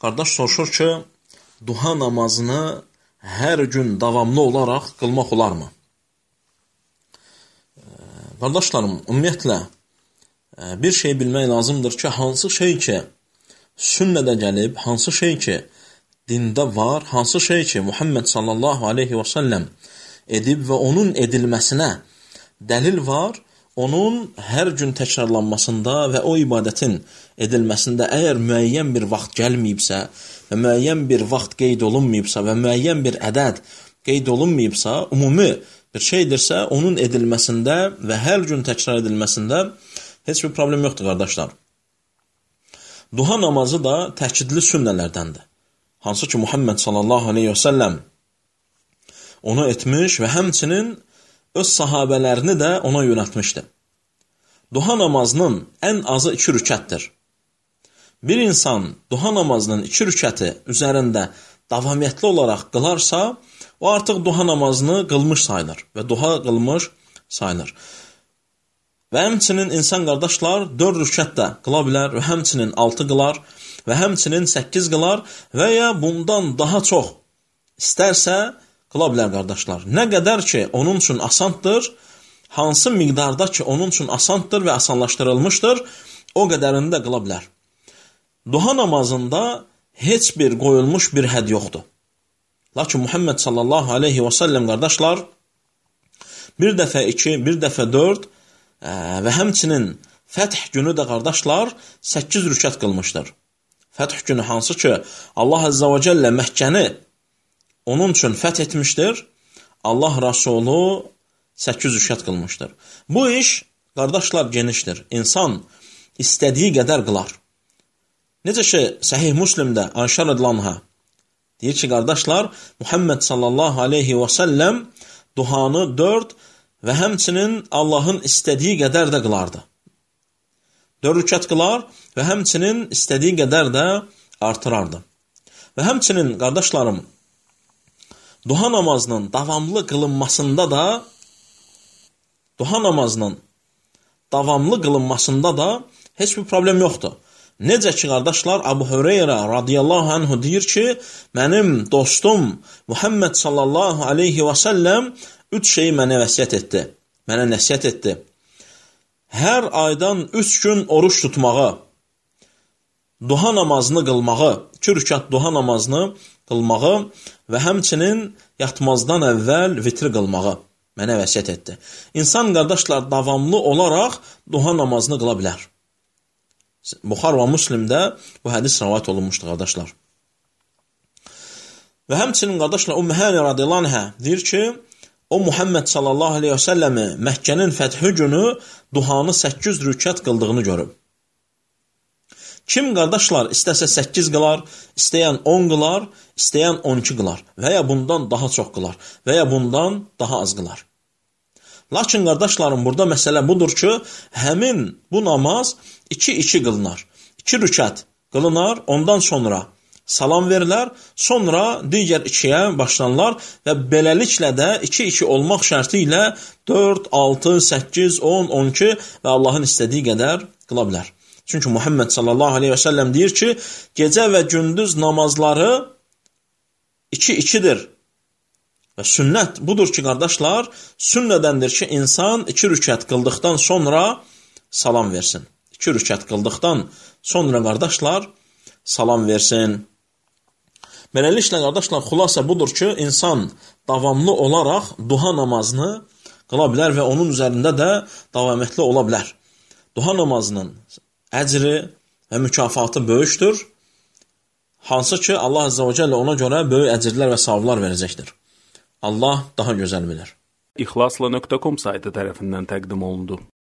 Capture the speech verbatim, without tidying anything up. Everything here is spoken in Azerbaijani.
Qardaş soruşur ki, duha namazını hər gün davamlı olaraq qılmaq olarmı? Qardaşlarım, ümumiyyətlə, bir şey bilmək lazımdır ki, hansı şey ki, sünnədə gəlib, hansı şey ki, dində var, hansı şey ki, Muhammed sallallahu aleyhi və səlləm edib və onun edilməsinə dəlil var, onun hər gün təkrarlanmasında və o ibadətin edilməsində əgər müəyyən bir vaxt gəlməyibsə və müəyyən bir vaxt qeyd olunmayıbsa və müəyyən bir ədəd qeyd olunmayıbsa, ümumi bir şeydirsə, onun edilməsində və hər gün təkrar edilməsində heç bir problem yoxdur, qardaşlar. Duha namazı da təkidli sünnələrdəndir. Hansı ki, Muhammed sallallahu aleyhi və səlləm onu etmiş və həmçinin öz sahabələrini də ona yönətmişdi. Duha namazının ən azı iki rükətdir. Bir insan duha namazının iki rükəti üzərində davamiyyətli olaraq qılarsa, o artıq duha namazını qılmış sayılır və duha qılmış sayılır. Və həmçinin insan qardaşlar dörd rükət də qıla bilər və həmçinin altı qılar və həmçinin səkkiz qılar və ya bundan daha çox istərsə qıla bilər, qardaşlar. Nə qədər ki, onun üçün asandır, hansı miqdarda ki, onun üçün asandır və asanlaşdırılmışdır, o qədərini də qıla bilər. Duha namazında heç bir qoyulmuş bir hədd yoxdur. Lakin Muhammed sallallahu aleyhi və səlləm, qardaşlar, bir dəfə iki, bir dəfə dörd və həmçinin Fəth günü də, qardaşlar, səkkiz rükət qılmışdır. Fəth günü hansı ki, Allah Əzzə və Cəllə Məkkəni onun üçün fəth etmişdir, Allah Rasulü səkkiz rükət qılmışdır. Bu iş, qardaşlar, genişdir. İnsan istədiyi qədər qılar. Necə ki, Səhih Müslimdə Ayşə radiyallahu anha deyir ki, qardaşlar, Muhammed sallallahu aleyhi və səlləm duhanı dörd və həmçinin Allahın istədiyi qədər də qılardı. Dörd rükət qılar və həmçinin istədiyi qədər də artırardı. Və həmçinin, qardaşlarım, duha namazının davamlı qılınmasında da duha namazının davamlı qılınmasında da heç bir problem yoxdur. Necə ki, qardaşlar, Əbu Hüreyrə radiyallahu anhu deyir ki, mənim dostum Muhammed sallallahu aleyhi və səlləm üç şeyi mənə vəsiyyət etdi, mənə nəsiyyət etdi. Hər aydan üç gün oruç tutmağı, duha namazını qılmağı, iki rükət duha namazını qılmağı və həmçinin yatmazdan əvvəl vitri qılmağı mənə vəsiyyət etdi. İnsan, qardaşlar, davamlı olaraq duha namazını qıla bilər. Buxar və Müslimdə bu hədis rəvayət olunmuşdur, qardaşlar. Və həmçinin, qardaşlar, Ümmü Hani radiyallahu anhə deyir ki, o Muhammed sallallahu aleyhi və səlləmi Məkkənin fəthi günü duhanı səkkiz rükət qıldığını görüb. Kim, qardaşlar, istəsə səkkiz qılar, istəyən on qılar, istəyən on iki qılar və ya bundan daha çox qılar və ya bundan daha az qılar. Lakin, qardaşlarım, burada məsələ budur ki, həmin bu namaz iki-iki qılınar. İki rükət qılınar, ondan sonra salam verilər, sonra digər ikiyə başlanırlar və beləliklə də iki-iki olmaq şərti ilə dörd, altı, səkkiz, on, on iki və Allahın istədiyi qədər qıla bilər. Çünki Muhammed sallallahu aleyhi və səlləm deyir ki, gecə və gündüz namazları iki-ikidir. Və sünnət budur ki, qardaşlar, sünnədəndir ki, insan iki rükət qıldıqdan sonra salam versin. İki rükət qıldıqdan sonra, qardaşlar, salam versin. Beləliklə, qardaşlar, xülasə budur ki, insan davamlı olaraq duha namazını qıla bilər və onun üzərində də davamiyyətli ola bilər. Duha namazının əcri və mükafatı böyükdür. Hansı ki, Allah Əzzə və Cəllə ona görə böyük əcirlər və savablar verəcəkdir. Allah daha gözəl bilir. İxlasla nöqtə com saytı tərəfindən təqdim olundu.